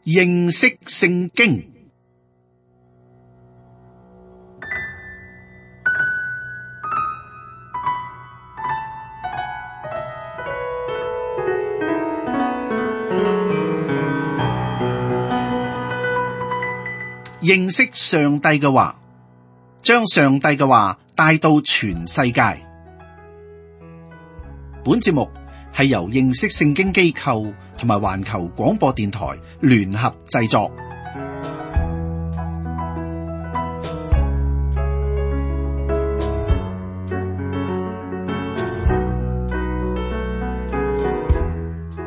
認識聖經。認識上帝嘅話，將上帝嘅話帶到全世界。本節目係由認識聖經機構同埋環球廣播電台聯合製作。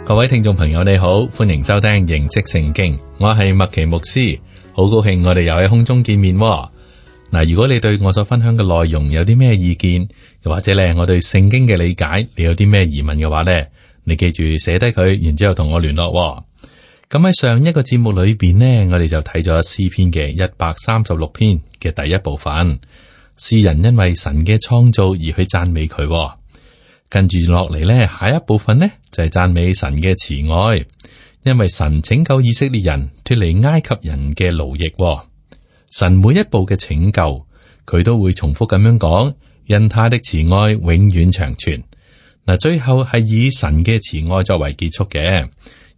各位聽眾朋友你好，歡迎收聽認識聖經，我係麥奇牧師。好高興我哋又喺空中見面喎。嗱，如果你對我所分享嘅內容有啲咩意見，又或者咧我對聖經嘅理解，你有啲咩疑問嘅話咧，你記住寫低佢，然之後同我聯絡喎。咁喺上一個節目裏邊呢，我哋就睇咗詩篇嘅136篇嘅第一部分，詩人因為神嘅創造而去讚美佢喎。跟住落嚟咧，下一部分呢就係讚美神嘅慈愛。因為神拯救以色列人脫離埃及人嘅奴役，神每一步嘅拯救，佢都會重複咁樣講，因他的慈愛永遠長存。嗱，最後係以神嘅慈愛作為結束嘅，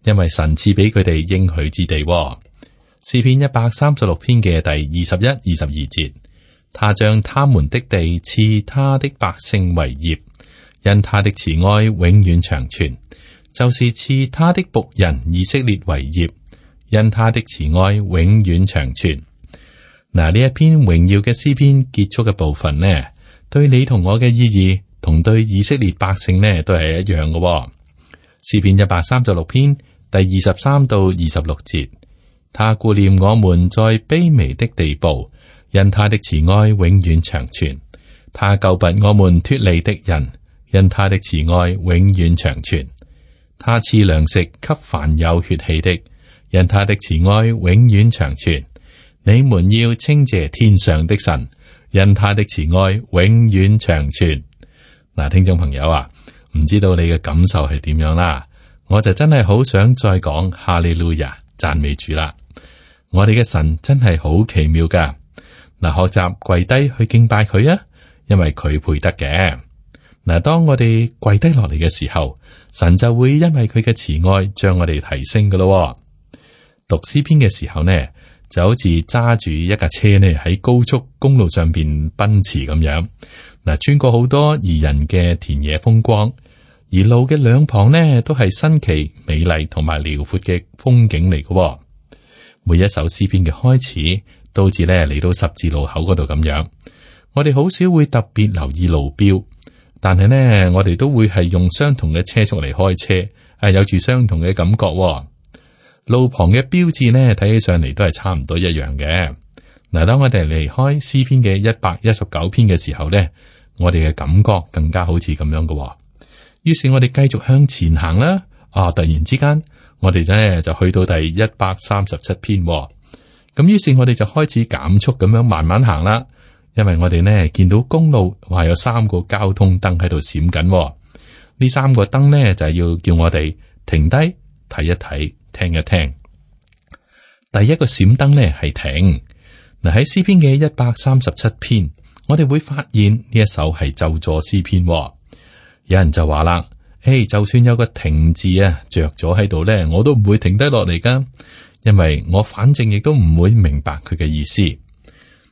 因為神賜俾佢哋應許之地。詩篇136篇嘅第21、22節，他將他們的地賜他的百姓為業，因他的慈愛永遠長存。就是賜他的僕人以色列為業，因他的慈愛永遠長存。嗱，呢一篇榮耀嘅詩篇結束嘅部分呢，對你同我嘅意義，同對以色列百姓呢都係一樣嘅。詩篇136篇第23到26節，他顧念我們在卑微的地步，因他的慈愛永遠長存。他救拔我們脫離敵人，因他的慈愛永遠長存。他賜糧食給凡有血氣的，因他的慈愛永遠長存。你們要稱謝天上的神，因他的慈愛永遠長存。嗱，聽眾朋友啊，唔知道你嘅感受係點樣啦？我就真係好想再講哈利路亞，讚美主啦！我哋嘅神真係好奇妙噶。嗱，學習跪低去敬拜佢啊，因為佢配得嘅。嗱，當我哋跪低落嚟嘅時候，神就會因為佢嘅慈愛將我哋提升噶咯。讀詩篇嘅時候呢，就好似揸住一架車呢喺高速公路上邊奔馳咁樣。嗱，穿過好多宜人嘅田野風光，而路嘅兩旁呢都係新奇、美麗同埋遼闊嘅風景嚟噶。每一首詩篇嘅開始，都好似呢嚟到十字路口嗰度咁樣。我哋好少會特別留意路標。但係呢，我哋都會係用相同嘅車速嚟開車，係有住相同嘅感覺。路旁嘅標誌呢，睇起上嚟都係差唔多一樣嘅。嗱，當我哋離開詩篇嘅119篇嘅時候呢，我哋嘅感覺更加好似咁樣嘅。於是我哋繼續向前行啦。突然之間，我哋呢就去到第137篇。咁於是我哋就開始減速咁樣慢慢行啦。因為我哋呢見到公路話有3個交通燈喺度閃緊，呢3個燈呢就係要叫我哋停低睇一睇，聽一聽。第一個閃燈呢係停。嗱，喺詩篇嘅137篇，我哋會發現呢一首係咒詛詩篇。有人就話啦，就算有個停字啊着咗喺度呢，我都唔會停低落嚟噶，因為我反正亦都唔會明白佢嘅意思。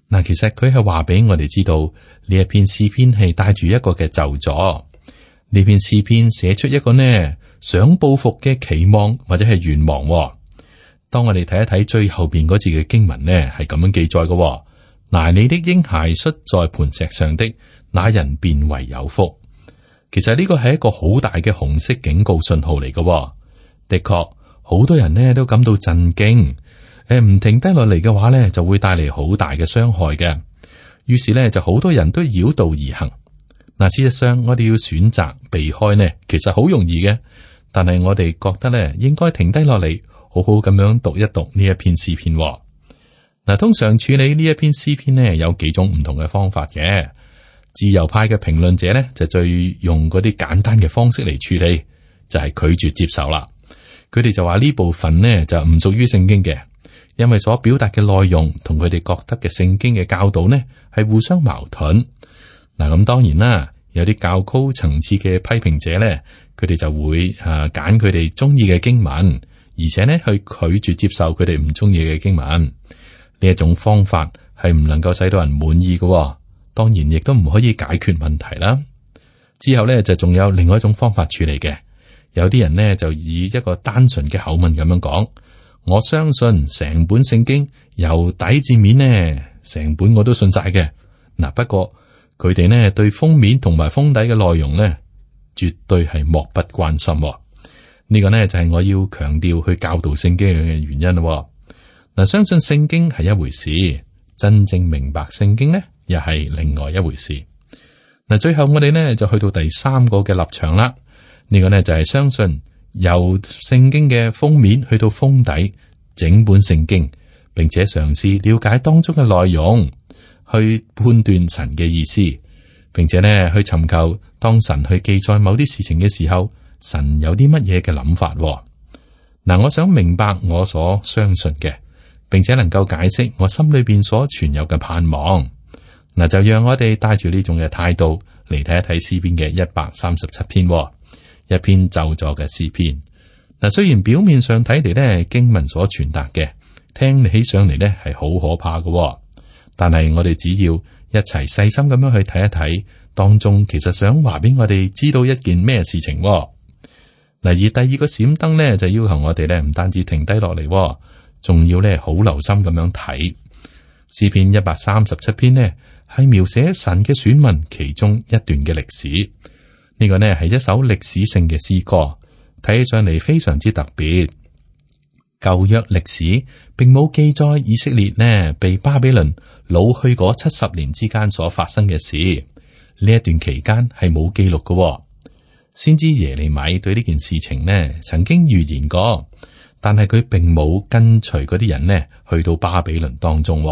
嗱，其實佢係話俾我哋知道呢一篇詩篇係帶住一個嘅咒詛。呢篇詩篇寫出一個呢想報復嘅期望或者係願望。當我哋睇一睇最後邊嗰字嘅經文呢，係咁樣記載嘅。拿你的嬰孩摔在磐石上的那人便為有福。其實呢個係一個好大嘅紅色警告信號嚟嘅。的確，好多人呢都感到震驚。唔停低落嚟嘅話咧，就會帶嚟好大嘅傷害嘅。於是咧，就好多人都繞道而行。嗱，事實上我哋要選擇避開呢，其實好容易嘅。但係我哋覺得咧，應該停低落嚟，好好咁樣讀一讀呢一篇詩篇。嗱，通常處理呢一篇詩篇呢，有幾種唔同嘅方法嘅。自由派嘅評論者呢，就最用嗰啲簡單嘅方式嚟處理，就係拒絕接受啦。佢哋就話呢部分呢就唔屬於聖經嘅，因為所表達嘅內容同佢哋覺得嘅聖經嘅教導呢係互相矛盾。嗱，咁當然啦，有啲較高層次嘅批評者呢，佢哋就會揀佢哋中意嘅經文，而且呢去拒絕接受佢哋唔中意嘅經文。呢一種方法係唔能夠使到人滿意嘅，當然亦都唔可以解決問題啦。之後呢，就仲有另外一種方法處理嘅，有啲人呢，就以一個單純嘅口吻咁樣講：我相信成本聖經由底至面呢，成本我都信晒嘅。嗱，不過佢哋呢對封面同埋封底嘅內容呢，絕對係漠不關心。呢個呢就係我要強調去教導聖經嘅原因咯。嗱，相信聖經係一回事，真正明白聖經呢，又係另外一回事。嗱，最後我哋呢就去到第三個嘅立場啦。呢個呢就係相信由聖經嘅封面去到封底，整本聖經，並且嘗試了解當中嘅內容，去判斷神嘅意思，並且呢去尋求當神去記載某啲事情嘅時候，神有啲乜嘢嘅諗法。嗱，我想明白我所相信嘅，並且能夠解釋我心裏邊所存有嘅盼望。嗱，就讓我哋帶住呢種嘅態度嚟睇一睇詩篇嘅137篇，一篇咒詛嘅詩篇。嗱，雖然表面上睇嚟呢，經文所傳達嘅聽起上嚟呢係好可怕嘅，但係我哋只要一齊細心咁樣去睇一睇，當中其實想話俾我哋知道一件咩事情。嗱，而第二個閃燈呢，就要求我哋呢唔單止停低落嚟，仲要呢好留心咁樣睇詩篇137篇呢，係描寫神嘅選民其中一段嘅歷史。呢個呢係一首歷史性嘅詩歌，睇起上嚟非常之特別。舊約歷史並冇記載以色列呢被巴比倫擄去嗰70年之間所發生嘅事。呢一段期間係冇記錄嘅。先知耶利米對呢件事情呢曾經預言過，但係佢並冇跟隨嗰啲人呢去到巴比倫當中。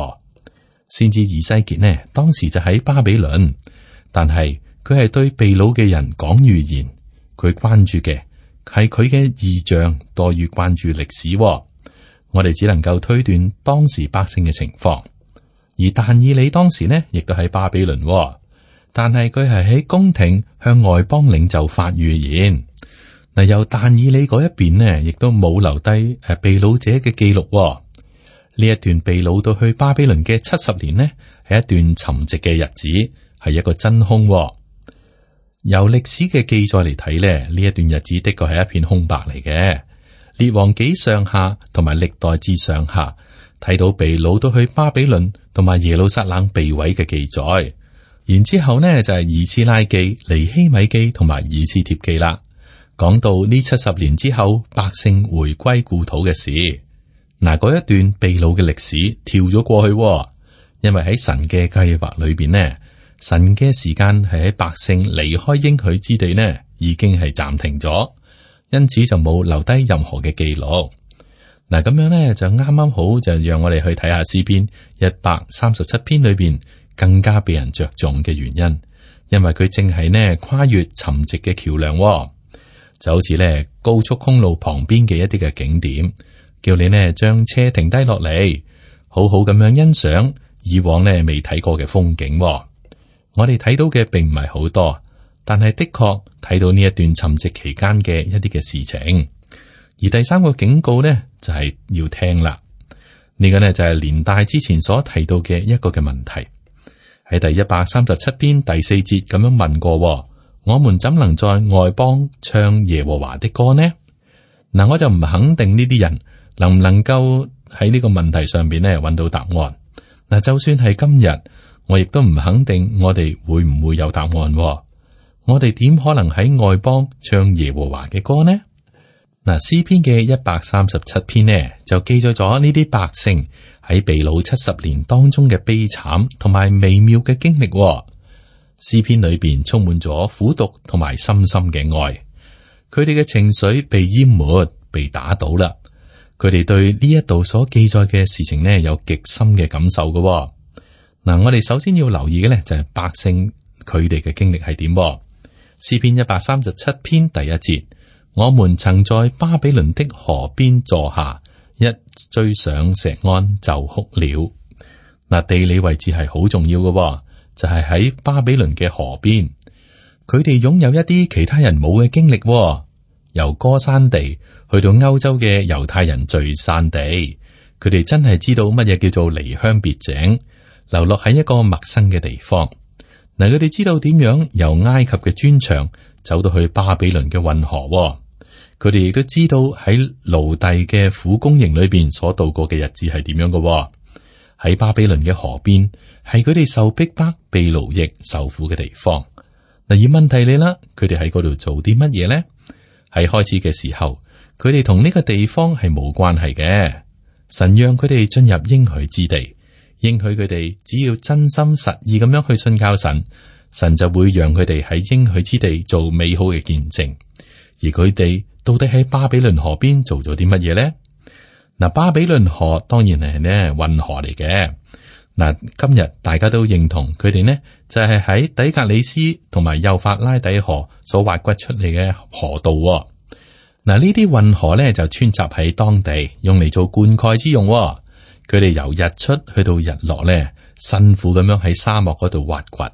先知以西結呢當時就喺巴比倫，但係佢係對被擄嘅人講預言，佢關注嘅係佢嘅異象多於關注歷史。我哋只能夠推斷當時百姓嘅情況，而但以理當時呢亦都喺巴比倫，但係佢係喺宮廷向外邦領袖發預言。嗱，由但以理嗰一邊呢，亦都冇留低被擄者嘅記錄。呢一段被擄到去巴比倫嘅70年呢，係一段沉寂嘅日子，係一個真空。由歷史嘅記載嚟睇呢，呢一段日子的確係一片空白嚟嘅。列王紀上下同埋歷代志上下睇到被擄到去巴比倫同埋耶路撒冷被毀嘅記載，然之後呢就係以斯拉記、尼希米記同埋以斯帖記啦，講到呢70年之後百姓回歸故土嘅事。嗱，嗰一段被擄嘅歷史跳咗過去，因為喺神嘅計劃裏邊呢，神嘅時間係喺百姓離開應許之地呢，已經係暫停咗，因此就冇留低任何嘅記錄。嗱，咁樣呢就啱啱好，就讓我哋去睇下詩篇137篇裏邊更加被人着重嘅原因，因為佢正係呢跨越沉寂嘅橋梁，就好似呢高速公路旁邊嘅一啲嘅景點。叫你呢將車停低落嚟，好好咁樣欣賞以往呢未睇過嘅風景。我哋睇到嘅並唔係好多，但係的確睇到呢一段沉寂期間嘅一啲嘅事情。而第三個警告呢，就係要聽啦。呢個呢就係連帶之前所提到嘅一個嘅問題，喺第137篇第4節咁樣問過：我們怎能在外邦唱耶和華的歌呢？嗱，我就唔肯定呢啲人能唔能夠喺呢個問題上邊咧揾到答案。嗱，就算係今日，我亦都唔肯定我哋會唔會有答案。我哋點可能喺外邦唱耶和華嘅歌呢？嗱，詩篇嘅137篇呢就記載咗呢啲百姓喺被擄70年當中嘅悲慘同埋微妙嘅經歷。詩篇裏邊充滿咗苦毒同埋深深嘅愛，佢哋嘅情緒被淹沒、被打倒啦。佢哋對呢一度所記載嘅事情呢，有極深嘅感受嘅。嗱，我哋首先要留意嘅呢，就係百姓佢哋嘅經歷係點。詩篇137篇第1節，我們曾在巴比倫的河邊坐下，一追上錫安就哭了。嗱，地理位置係好重要嘅，就係喺巴比倫嘅河邊。佢哋擁有一啲其他人冇嘅經歷，由歌珊地去到歐洲嘅猶太人聚散地，佢哋真係知道乜嘢叫做離鄉別井，流落喺一個陌生嘅地方。嗱，佢哋知道點樣由埃及嘅磚牆走到去巴比倫嘅運河。佢哋亦都知道喺奴隸嘅苦工營裏邊所度過嘅日子係點樣嘅。喺巴比倫嘅河邊係佢哋受逼迫、被奴役、受苦嘅地方。嗱，而問題嚟啦，佢哋喺嗰度做啲乜嘢咧？喺開始嘅時候，佢哋同呢個地方係冇關係嘅。神讓佢哋進入應許之地，應許佢哋只要真心實意咁樣去信靠神，神就會讓佢哋喺應許之地做美好嘅見證。而佢哋到底喺巴比倫河邊做咗啲乜嘢咧？嗱，巴比倫河當然係呢運河嚟嘅。嗱，今日大家都認同佢哋呢就係喺底格里斯同埋幼發拉底河所挖掘出嚟嘅河道。嗱，呢啲運河咧就穿插喺當地，用嚟做灌溉之用。佢哋由日出去到日落咧，辛苦咁樣喺沙漠嗰度挖掘。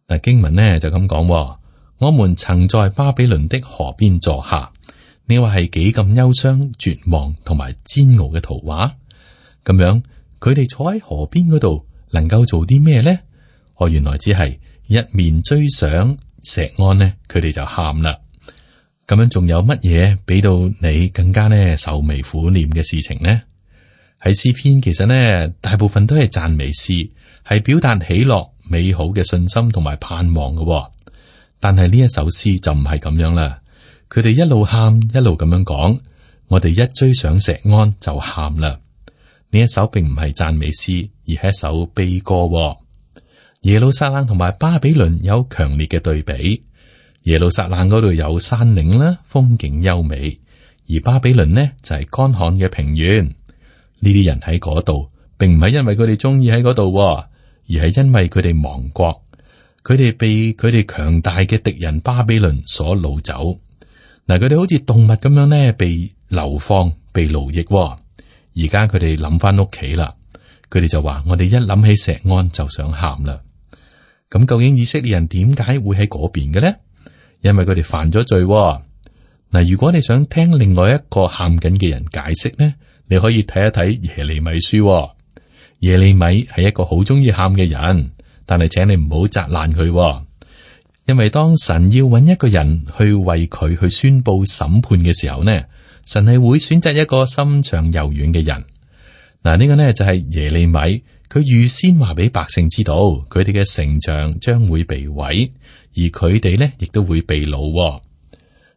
嗱，經文呢就咁講：我們曾在巴比倫的河邊坐下。你話係幾咁憂傷、絕望同埋煎熬嘅圖畫？咁樣。佢哋坐喺河邊嗰度，能夠做啲咩咧？原來只係一面追想錫安呢，佢哋就喊啦。咁樣仲有乜嘢俾到你更加呢愁眉苦臉嘅事情呢？喺詩篇其實呢，大部分都係讚美詩，係表達喜樂、美好嘅信心同埋盼望嘅。但係呢一首詩就唔係咁樣啦。佢哋一路喊，一路咁樣講，我哋一追想錫安就喊啦。呢一首並唔係讚美詩，而係一首悲歌。耶路撒冷同埋巴比倫有強烈嘅對比。耶路撒冷嗰度有山嶺啦，風景優美；而巴比倫呢就係乾旱嘅平原。呢啲人喺嗰度，並唔係因為佢哋中意喺嗰度，而係因為佢哋亡國，佢哋被佢哋強大嘅敵人巴比倫所擄走。嗱，佢哋好似動物咁樣呢，被流放、被奴役。而家佢哋諗翻屋企啦，佢哋就話：我哋一諗起錫安就想喊啦。咁究竟以色列人點解會喺嗰邊嘅咧？因為佢哋犯咗罪。嗱，如果你想聽另外一個喊緊嘅人解釋呢，你可以睇一睇耶利米書。耶利米係一個好中意喊嘅人，但係請你唔好責難佢，因為當神要揾一個人去為佢去宣布審判嘅時候呢，神係會選擇一個心腸柔軟嘅人。嗱，呢個呢就係耶利米，佢預先話俾百姓知道，佢哋嘅城牆將會被毀，而佢哋呢亦都會被擄。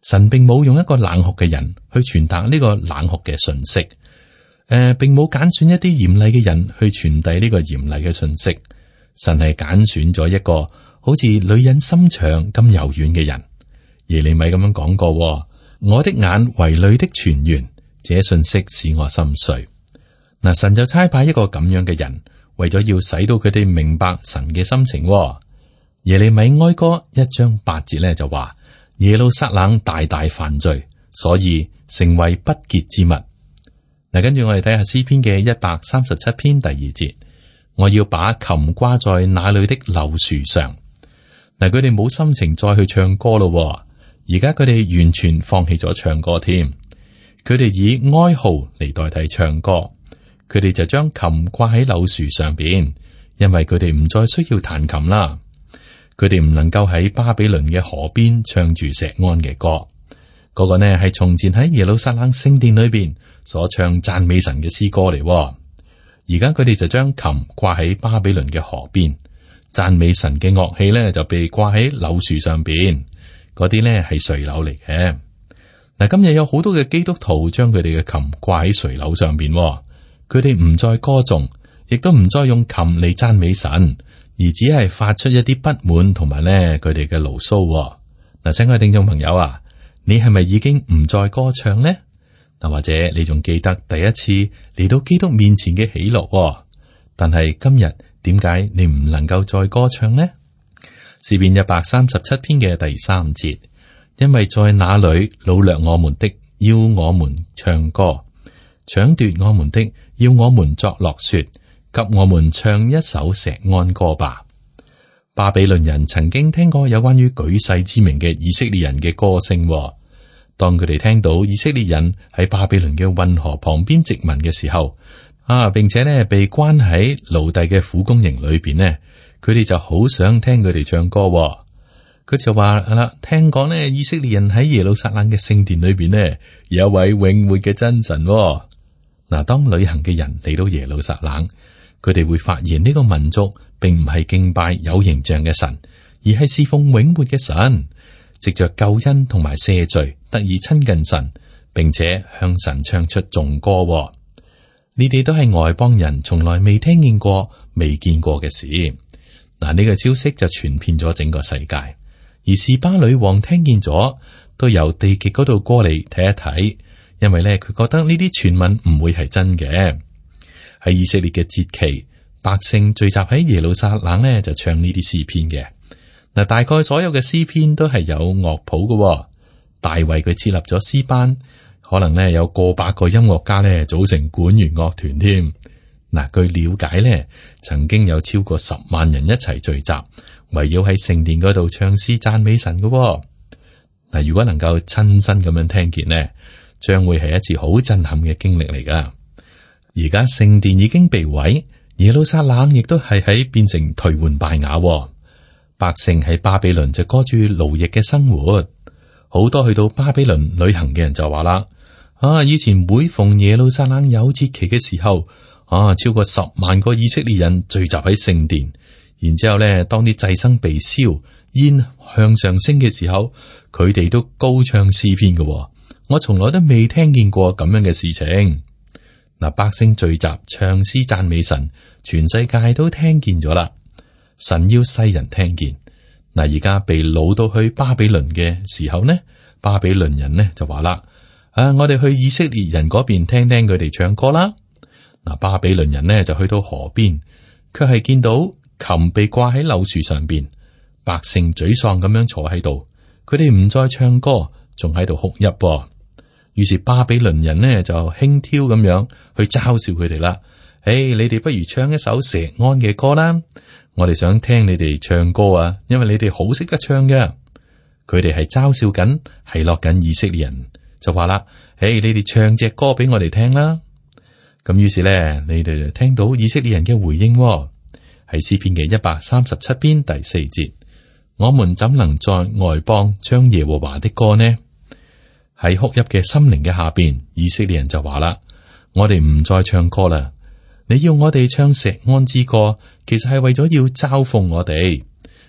神並冇用一個冷酷嘅人去傳達呢個冷酷嘅信息，並冇揀選一啲嚴厲嘅人去傳遞呢個嚴厲嘅信息。神係揀選咗一個好似女人心腸咁柔軟嘅人。耶利米咁樣講過。我的眼為淚的泉源，這信息使我心碎。嗱，神就差派一個咁樣嘅人，為咗要使到佢哋明白神嘅心情。耶利米哀歌1章8節咧就話：耶路撒冷大大犯罪，所以成為不潔之物。嗱，跟住我哋睇下詩篇嘅137篇第2節，我要把琴掛在那裏的柳樹上。嗱，佢哋冇心情再去唱歌咯。而家佢哋完全放棄咗唱歌添，佢哋以哀號嚟代替唱歌，佢哋就將琴掛喺柳樹上邊，因為佢哋唔再需要彈琴啦。佢哋唔能夠喺巴比倫嘅河邊唱住錫安嘅歌，嗰個呢係從前喺耶路撒冷聖殿裏邊所唱讚美神嘅詩歌嚟。而家佢哋就將琴掛喺巴比倫嘅河邊，讚美神嘅樂器呢就被掛喺柳樹上邊。嗰啲呢係垂柳嚟嘅。嗱，今日有好多嘅基督徒將佢哋嘅琴掛喺垂柳上邊，佢哋唔再歌頌，亦都唔再用琴嚟讚美神，而只係發出一啲不滿同埋呢佢哋嘅牢騷。嗱，親愛聽眾朋友啊，你係咪已經唔再歌唱呢？嗱，或者你仲記得第一次嚟到基督面前嘅喜樂？但係今日點解你唔能夠再歌唱呢？詩篇137篇嘅第3節，因為在那裏擄掠我們的，要我們唱歌；搶奪我們的，要我們作樂說，給我們唱一首錫安歌吧。巴比倫人曾經聽過有關於舉世知名嘅以色列人嘅歌聲，當佢哋聽到以色列人喺巴比倫嘅運河旁邊殖民嘅時候，並且呢被關喺奴隸嘅苦工營裏邊呢，佢哋就好想聽佢哋唱歌。佢就話啦，聽講呢以色列人喺耶路撒冷嘅聖殿裏邊呢，有一位永活嘅真神。嗱，當旅行嘅人嚟到耶路撒冷，佢哋會發現呢個民族並唔係敬拜有形象嘅神，而係侍奉永活嘅神，藉着救恩同埋赦罪得以親近神，並且向神唱出頌歌。呢啲都係外邦人從來未聽見過、未見過嘅事。嗱，呢個消息就傳遍咗整個世界，而示巴女王聽見咗，都由地極嗰度過嚟睇一睇，因為咧佢覺得呢啲傳聞唔會係真嘅。喺以色列嘅節期，百姓聚集喺耶路撒冷呢，就唱呢啲詩篇嘅。嗱，大概所有嘅詩篇都係有樂譜嘅。大衛佢設立咗詩班，可能呢有過百個音樂家呢組成管弦樂團添。嗱，據了解呢，曾經有超過10萬人一齊聚集，圍繞喺聖殿嗰度唱詩讚美神嘅。嗱，如果能夠親身咁樣聽見呢，將會係一次好震撼嘅經歷嚟噶。而家聖殿已經被毀，耶路撒冷亦都係喺變成頹垣敗瓦。百姓喺巴比倫就過住奴役嘅生活。好多去到巴比倫旅行嘅人就話啦：以前每逢耶路撒冷有節期嘅時候，超過10萬個以色列人聚集喺聖殿，然之後咧，當啲祭牲被燒，煙向上升嘅時候，佢哋都高唱詩篇嘅。我從來都未聽見過咁樣嘅事情。嗱，百姓聚集唱詩讚美神，全世界都聽見咗啦。神要世人聽見。嗱，而家被擄到去巴比倫嘅時候呢，巴比倫人呢就話啦：我哋去以色列人嗰邊聽聽佢哋唱歌啦。嗱，巴比倫人呢就去到河邊，卻係見到琴被掛喺柳樹上邊，百姓沮喪咁樣坐喺度，佢哋唔再唱歌，仲喺度哭泣。於是巴比倫人呢就輕佻咁樣去嘲笑佢哋啦。你哋不如唱一首錫安嘅歌啦，我哋想聽你哋唱歌啊，因為你哋好識得唱嘅。佢哋係嘲笑緊，係落緊以色列人，就話啦：你哋唱隻歌俾我哋聽啦。咁於是咧，你哋就聽到以色列人嘅回應，係詩篇嘅137篇第4節：我們怎能在外邦唱耶和華的歌呢？喺哭泣嘅心靈嘅下邊，以色列人就話啦：我哋唔再唱歌啦。你要我哋唱錫安之歌，其實係為咗要嘲諷我哋。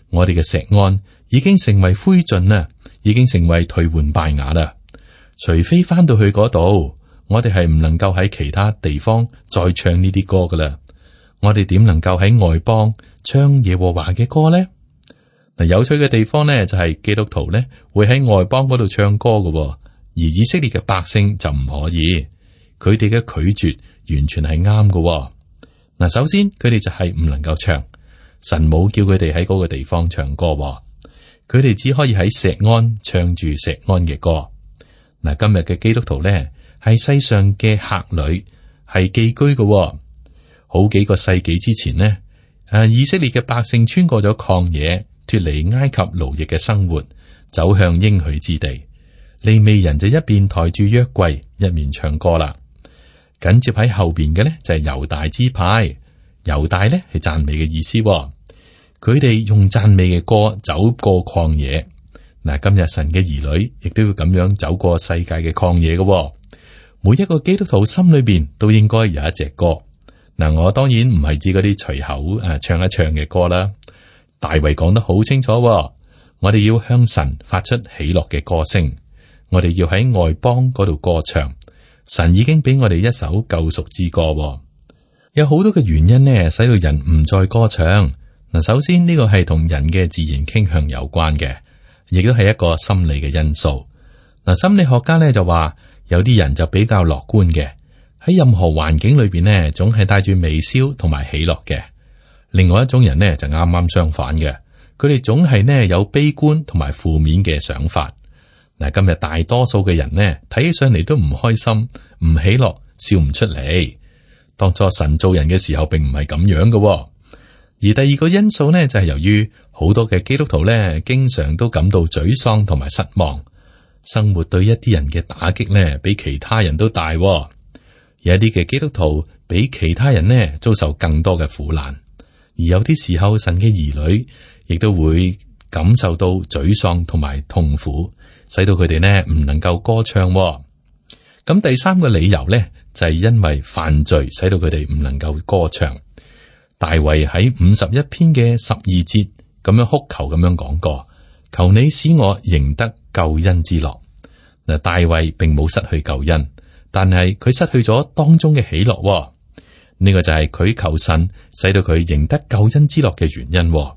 我哋嘅錫安已經成為灰燼啦，已經成為頹垣敗瓦啦。除非翻到去嗰度，我哋係唔能夠喺其他地方再唱呢啲歌噶啦。我哋點能夠喺外邦唱耶和華嘅歌呢？嗱，有趣嘅地方呢，就係基督徒呢會喺外邦嗰度唱歌嘅，而以色列嘅百姓就唔可以。佢哋嘅拒絕完全係啱嘅。嗱，首先佢哋就係唔能夠唱，神冇叫佢哋喺嗰個地方唱歌，佢哋只可以喺錫安唱住錫安嘅歌。嗱，今日嘅基督徒咧係世上嘅客旅，係寄居嘅。好幾個世紀之前呢，以色列嘅百姓穿過咗曠野，脫離埃及奴役嘅生活，走向應許之地。利未人就一邊抬住約櫃，一面唱歌啦。緊接喺後邊嘅呢，就係猶大支派，猶大呢係讚美嘅意思。佢哋用讚美嘅歌走過曠野。嗱，今日神嘅兒女亦都要咁樣走過世界嘅曠野嘅。每一個基督徒心裏邊都應該有一隻歌。嗱，我當然唔係指嗰啲隨口唱一唱嘅歌啦。大衛講得好清楚，我哋要向神發出喜樂嘅歌聲，我哋要喺外邦嗰度歌唱。神已經俾我哋一首救贖之歌。有好多嘅原因呢，使到人唔再歌唱。嗱，首先呢個係同人嘅自然傾向有關嘅，亦都係一個心理嘅因素。嗱，心理學家呢就話，有啲人就比較樂觀嘅，喺任何環境裏邊呢，總係帶住微笑同埋喜樂嘅。另外一種人呢，就啱啱相反嘅，佢哋總係呢有悲觀同埋負面嘅想法。嗱，今日大多數嘅人呢，睇起上嚟都唔開心、唔喜樂、笑唔出嚟。當初神造人嘅時候，並唔係咁樣嘅。而第二個因素呢，就係由於好多嘅基督徒呢，經常都感到沮喪同埋失望。生活對一啲人嘅打擊呢，比其他人都大。有一啲嘅基督徒比其他人呢，遭受更多嘅苦難。而有啲時候，神嘅兒女亦都會感受到沮喪同埋痛苦，使到佢哋呢唔能夠歌唱。咁第三個理由呢，就係因為犯罪，使到佢哋唔能夠歌唱。大衛喺51篇嘅12節咁樣哭求咁樣講過：求你使我贏得救恩之樂。嗱，大衛並冇失去救恩，但係佢失去咗當中嘅喜樂。呢個就係佢求神使到佢贏得救恩之樂嘅原因。咁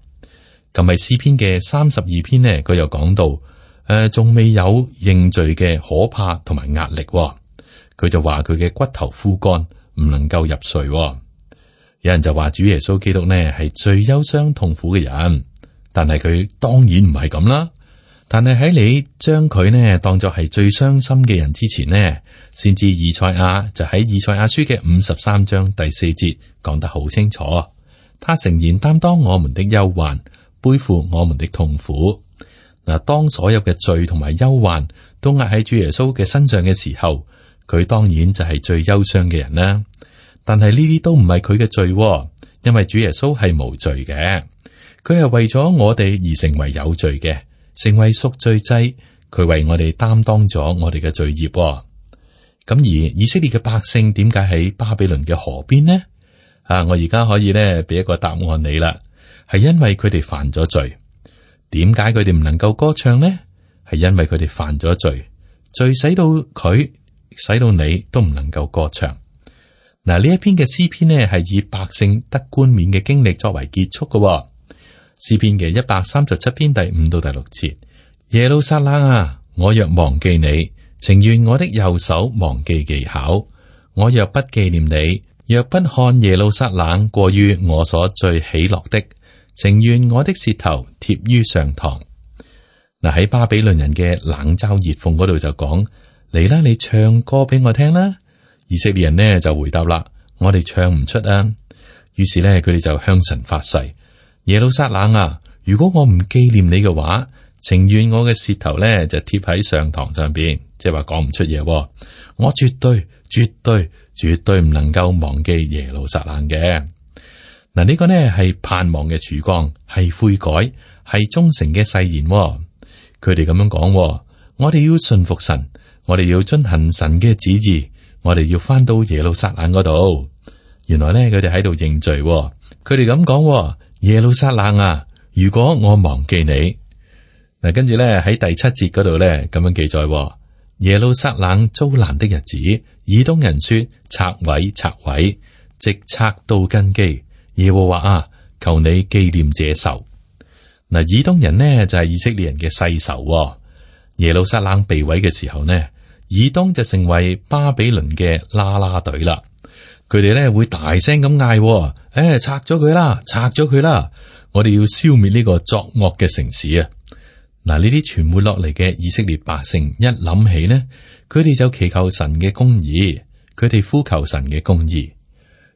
喺詩篇嘅32篇呢，佢又講到，仲未有認罪嘅可怕同埋壓力。佢就話佢嘅骨頭枯乾，唔能夠入睡。有人就話主耶穌基督呢係最憂傷痛苦嘅人，但係佢當然唔係咁啦。但係喺你將佢呢當作係最傷心嘅人之前呢，先知以賽亞就喺以賽亞書嘅53章第4節講得好清楚。他誠然擔當我們的憂患，背負我們的痛苦。嗱，當所有嘅罪同埋憂患都壓喺主耶穌嘅身上嘅時候，佢當然就係最憂傷嘅人啦。但係呢啲都唔係佢嘅罪，因為主耶穌係無罪嘅，佢係為咗我哋而成為有罪嘅，成為贖罪祭。佢為我哋擔當咗我哋嘅罪孽。咁而以色列嘅百姓點解喺巴比倫嘅河邊呢？我而家可以咧俾一個答案你啦，係因為佢哋犯咗罪。點解佢哋唔能夠歌唱呢？係因為佢哋犯咗罪，罪使到佢，使到你都唔能夠歌唱。嗱，呢一篇嘅詩篇呢，係以百姓得冠冕嘅經歷作為結束嘅。詩篇嘅137篇第5到第6節：耶路撒冷啊，我若忘記你，情願我的右手忘記技巧；我若不紀念你，若不看耶路撒冷過於我所最喜樂的，情願我的舌頭貼於上膛。嗱，喺巴比倫人嘅冷嘲熱諷嗰度就講：嚟啦，你唱歌俾我聽啦。以色列人呢就回答啦：我哋唱唔出啊。於是呢，佢哋就向神發誓：耶路撒冷啊，如果我唔紀念你嘅話，情願我嘅舌頭呢就貼喺上膛上邊，即係話講唔出嘢。我絕對唔能夠忘記耶路撒冷嘅。嗱，呢個呢係盼望嘅曙光，係悔改，係忠誠嘅誓言。佢哋咁樣講：我哋要順服神，我哋要遵行神嘅旨意。我哋要翻到耶路撒冷嗰度。原來咧，佢哋喺度認罪。佢哋咁講：耶路撒冷啊，如果我忘記你，嗱，跟住咧喺第7節嗰度咧咁樣記載：耶路撒冷遭難的日子，以東人說：拆毀，直拆到根基。耶和華啊，求你紀念這仇。嗱，以東人呢就係以色列人嘅世仇。耶路撒冷被毀嘅時候呢，以東就成為巴比倫嘅啦啦隊啦，佢哋咧會大聲咁嗌：拆咗佢啦！我哋要消滅呢個作惡嘅城市啊！嗱，呢啲傳回落嚟嘅以色列百姓一諗起呢，佢哋就祈求神嘅公義，佢哋呼求神嘅公義。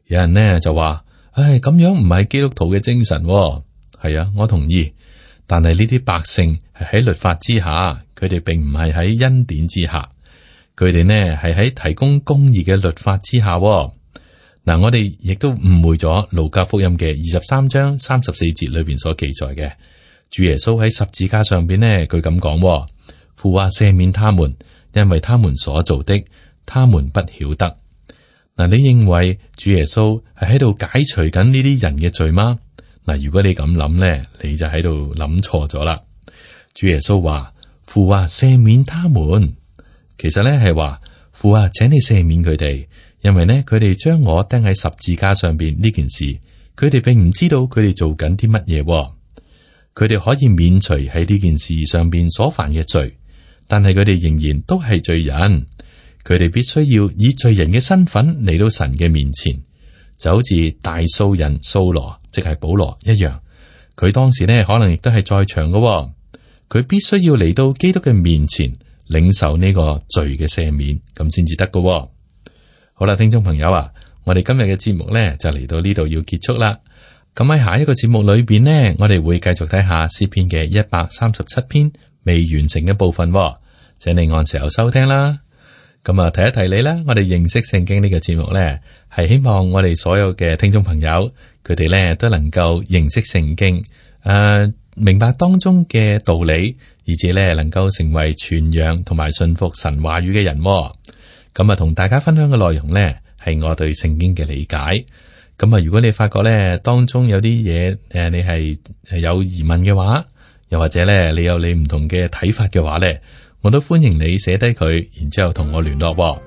有人呢就話：咁樣唔係基督徒嘅精神。係啊，我同意。但係呢啲百姓係喺律法之下，佢哋並唔係喺恩典之下。佢哋呢係喺提供公義嘅律法之下。嗱，我哋亦都誤會咗路加福音嘅23章34節裏邊所記載嘅，主耶穌喺十字架上邊呢，佢咁講：父啊，赦免他們，因為他們所做的，他們不曉得。嗱，你認為主耶穌係喺度解除緊呢啲人嘅罪嗎？嗱，如果你咁諗呢，你就喺度諗錯咗啦。主耶穌話：父啊，赦免他們。其實咧係話，父啊，請你赦免佢哋，因為呢，佢哋將我釘喺十字架上邊呢件事，佢哋並唔知道佢哋做緊啲乜嘢。佢哋可以免除喺呢件事上邊所犯嘅罪，但係佢哋仍然都係罪人。佢哋必須要以罪人嘅身份嚟到神嘅面前，就好似大數人掃羅，即係保羅一樣。佢當時呢可能亦都係在場嘅，佢必須要嚟到基督嘅面前。領受呢個罪嘅赦免，咁先至得㗎。好啦，聽眾朋友啊，我哋今日嘅節目呢就嚟到呢度要結束啦。咁喺下一個節目裏邊呢，我哋會繼續睇下詩篇嘅137篇未完成嘅部分，請你按時候收聽啦。咁啊，提一提你啦，我哋認識聖經呢個節目呢，係希望我哋所有嘅聽眾朋友，佢哋呢都能夠認識聖經，明白當中嘅道理，以至呢能夠成為傳揚同埋信服神話語嘅人。咁啊，同大家分享嘅內容呢，係我對聖經嘅理解。咁啊，如果你發覺呢當中有啲嘢，你係有疑問嘅話，又或者呢你有你唔同嘅睇法嘅話呢，我都歡迎你寫低佢，然之後同我聯絡。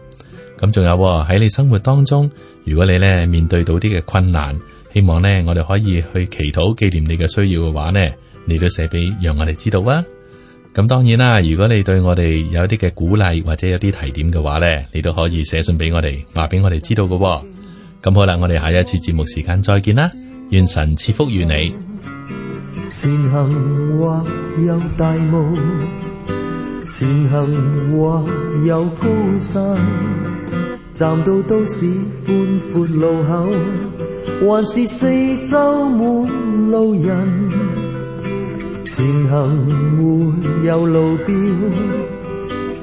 咁仲有喺你生活當中，如果你呢面對到啲嘅困難，希望呢我哋可以去祈禱紀念你嘅需要嘅話呢，你都寫俾讓我哋知道啊。咁當然啦，如果你對我哋有啲嘅鼓勵或者有啲提點嘅話呢，你都可以寫信俾我哋，話俾我哋知道嘅。咁好啦，我哋下一次節目時間再見啦，願神賜福於你。前行或有大霧，前行或有高山，站到都市寬闊路口，還是四周滿路人。前行沒有路標，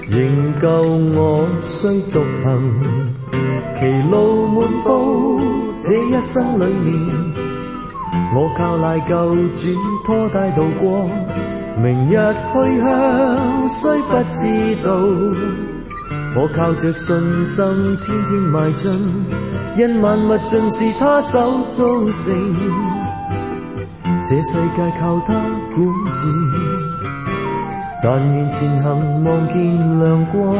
仍舊我需獨行。歧路滿布，這一生裏面，我靠賴救主拖帶渡過。明日去向雖不知道，我靠着信心天天邁進，因萬物盡是他手造成，這世界靠他管治。但願前行望見亮光，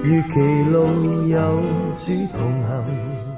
如歧路有主同行。